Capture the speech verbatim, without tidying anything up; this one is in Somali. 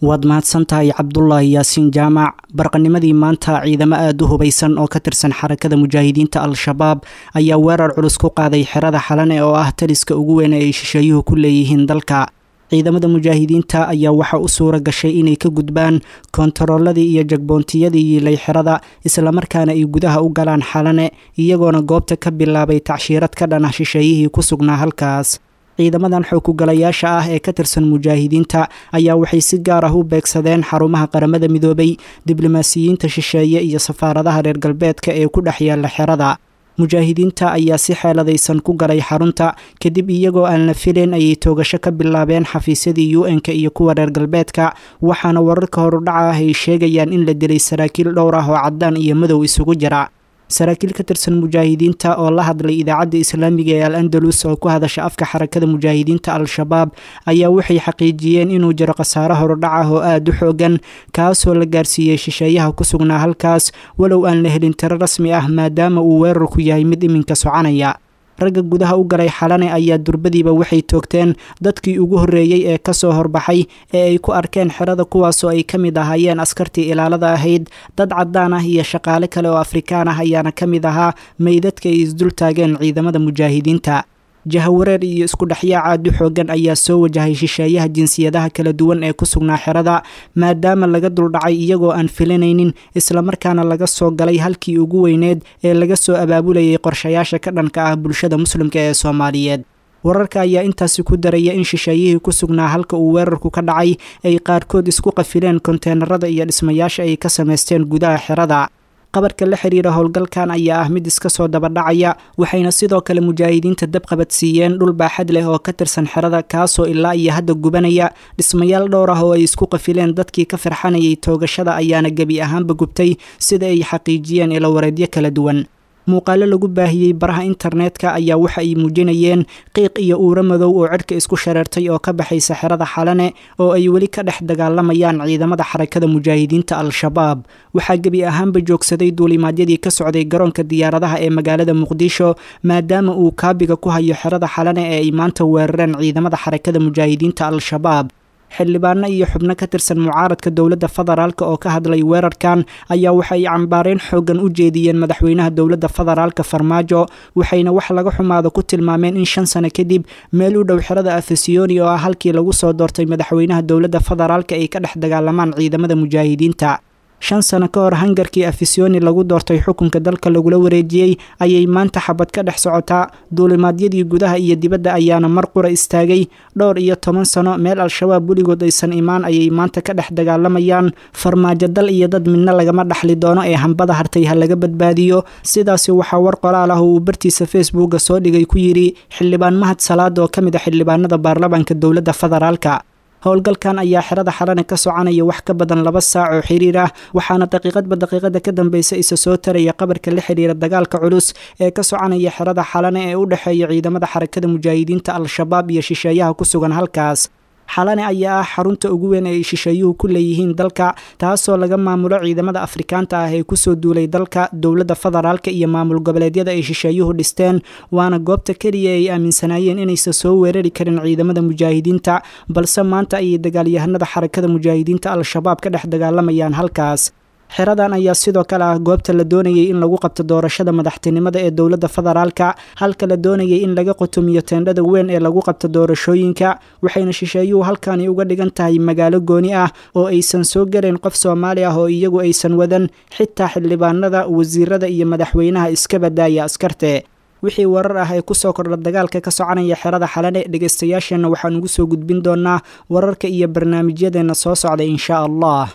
Waad mahadsantahay Cabdulaahi Yaasiin Jaamac. Barqanimadii maanta ciidamo aada u hubaysan oo ka tirsan Xarakada Mujaahidiinta Al-Shabaab ayaa weerar culus ku qaaday xerada Xalane oo ah taliska ugu weyn ee ay shisheeyuhu ku leeyihiin dalka. Ciidamada mujaahidiinta ayaa waxaa u suura gashay inay ka gudbaan koontarooladii iyo jagboontiyadii yiilay xerada, islamarkaana ay gudaha u galaan Xalane, iyagoona goobta ka bilaabay tacshiirad ka dhan ah shisheeyihii ku sugnaa halkaas. Ciidamadan xoogugalayaasha ah ee ka tirsan mujaahidiinta ayaa waxay si gaar ah u beegsadeen xarumaha Qaramada Midoobay, diblomaasiyiinta shisheeye iyo safaaradaha reer galbeedka ee ku dhex yaalla xerada. Mujaahidiinta ayaa si xeeladaysan ku galay xarunta, kadib iyagoo aan la filayn ayay toogasho ka bilaabeen xafiisyadii U N-ka iyo kuwa reer galbeedka, waxaana wararka horudhaca ah ay sheegayaan in la dilay saraakiil dhowr ah oo caddaan iyo madow isugu jira. Saraakiil ka tirsan mujaahidiinta oo la hadlay Idaacadda Islaamiga ee Al Andalus oo ku hadasha afka Xarakada Mujaahidiinta Al-Shabaab ayaa waxay xaqiijiyeen inuu jiro khasaare horudhac ah oo aada u xoogan, kaasoo la gaarsiiyey shisheeyaha ku sugnaa halkaas, walow aan la helin tiro rasmi ah maadaama uu weerarku yahay mid iminka soconaya. Ragga gudaha u galay Xalane ayaa durbadiiba waxay toogteen dadkii ugu horreeyey ee kasoo horbaxay ee ay ku arkeen xerada, kuwaasoo ay ka mid ahaayeen askartii ilaalada ahayd. Dad caddaan ah iyo shaqaale kale oo Afrikaan ah ayaana ka mid ahaa meydadka ay isdul taageen ciidamada mujaahidiinta. Jahawareer iyo isku dhexyaac aad u xoogan ayaa soo wajahay shisheeyaha jinsiyadaha kala duwan ee ku sugnaa xerada, maadaama laga duldhacay iyagoo aan filanaynin, islamarkaana laga soo galay halkii ugu weyneed ee laga soo abaabulayay qorshayaasha ka dhanka ah bulshada muslimka ee Soomaaliyeed. Wararka ayaa intaasi ku daraya in shisheeyihii ku sugnaa halka uu weerarku ka dhacay ay qaarkood isku qafileen konteenarada iyo dhismayaasha ay ka samaysteen gudaha xerada. Qabarka la xiriira howlgalkan ayaa ah mid iska soo dabadhacaya, waxayna sidoo kale mujaahidiinta dabqabadsiiyeen dhul baaxad leh oo ka tirsan xerada, kaasoo ilaa iyo hadda gubanaya. Dhismayaal dhowr ah oo ay isku qafileen dadkii ka firxanayay toogashada ayaana gebi ahaanba gubtay, sida ay xaqiijiyeen ilowareedyo kala duwan. Muuqaalo lagu baahiyey baraha internetka ayaa waxa ay muujinayeen qiiq iyo uuro madow oo cirka isku shareertay oo ka baxaysa xerada Xalane oo ay weli ka dhex dagaalamayaan ciidamada Xarakada Mujaahidiinta Al-Shabaab. Waxaa gebi ahaanba joogsaday duulimaadyadii ka socday garoonka diyaaradaha ee magaalada Muqdisho, maadaama uu kaabiga ku hayo xerada Xalane ee ay maanta weerareen ciidamada Xarakada Mujaahidiinta Al-Shabaab. Xildhibaano iyo xubno ka tirsan mucaaradka dowladda federaalka oo ka hadlay weerarkan ayaa waxa ay cambaareen xooggan u jeediyeen madaxweynaha dowladda federaalka Farmaajo, waxayna wax laga xumaado ku tilmaameen in shan sano kadib meel u dhow xerada Afesiyoni oo ah halkii lagu soo doortay madaxweynaha dowladda federaalka ay ka dhex dagaalamaan ciidamada mujaahidiinta. Shan sano ka hor hangarkii Afisiyoni lagu doortay xukunka dalka lagula wareejiyey ayay maanta xabad ka dhex socotaa, duulimaadyadii gudaha iyo dibadda ayaana mar qura istaagay. Dhowr iyo toban sano meel Al-Shabaab weligood aysan imaan ayay maanta ka dhex dagaalamayaan. Farmaajo dal iyo dad midna lagama dhaxli doono ee hambada hartay ha laga badbaadiyo. Sidaasi waxaa war qoraal ah oo uu bartiisa Facebooka soo dhigay ku yidhi Xildhibaan Mahad Salaad oo ka mid a xildhibaanada baarlamaanka dowladda federaalka. Howlgalkan ayaa xerada Xalane ka soconaya wax ka badan laba saac oo xiriir ah, waxaana daqiiqadba daqiiqada ka dambeysa isa soo taraya qabarka la xiriira dagaalka culus ee ka soconaya xerada Xalane ee u dhexeeya ciidamada Xarakada Mujaahidiinta Al-Shabaab iyo shisheeyaha ku sugan halkaas. Xalane ayaa ah xarunta ugu weyn ee ay shisheeyuhu ku leeyihiin dalka, taasoo laga maamulo ciidamada Afrikaanta ah ee kusoo duulay dalka, dowladda federaalka iyo maamul goboleedyada ay shisheeyuhu dhisteen, waana goobta keliya ay aaminsanaayeen inaysan soo weerari karin ciidamada mujaahidiinta, balse maanta ayay dagaalyahanada Xarakada Mujaahidiinta Al-Shabaab ka dhex dagaalamayaan halkaas. Xeradan ayaa sidoo kale ah goobta la doonayay in lagu qabto doorashada madaxtinimada ee dowladda federaalka, halka la doonayay in laga qotomiyo teendhada weyn ee lagu qabto doorashooyinka, waxayna shisheeyuhu halkani uga dhigan tahay magaalo gooni ah oo aysan soo gelayn qof Soomaali ah oo iyagu aysan wadan, xitaa xildhibaanada, wasiirada iyo madaxweynaha iska badaaya askarte. Wixii warar ah ee kusoo kordha dagaalka ka soconaya xerada Xalane, dhegaystayaasheenna waxaan ugu soo gudbin doonaa wararka iyo barnaamijyadeenna soo socda, insha Allah.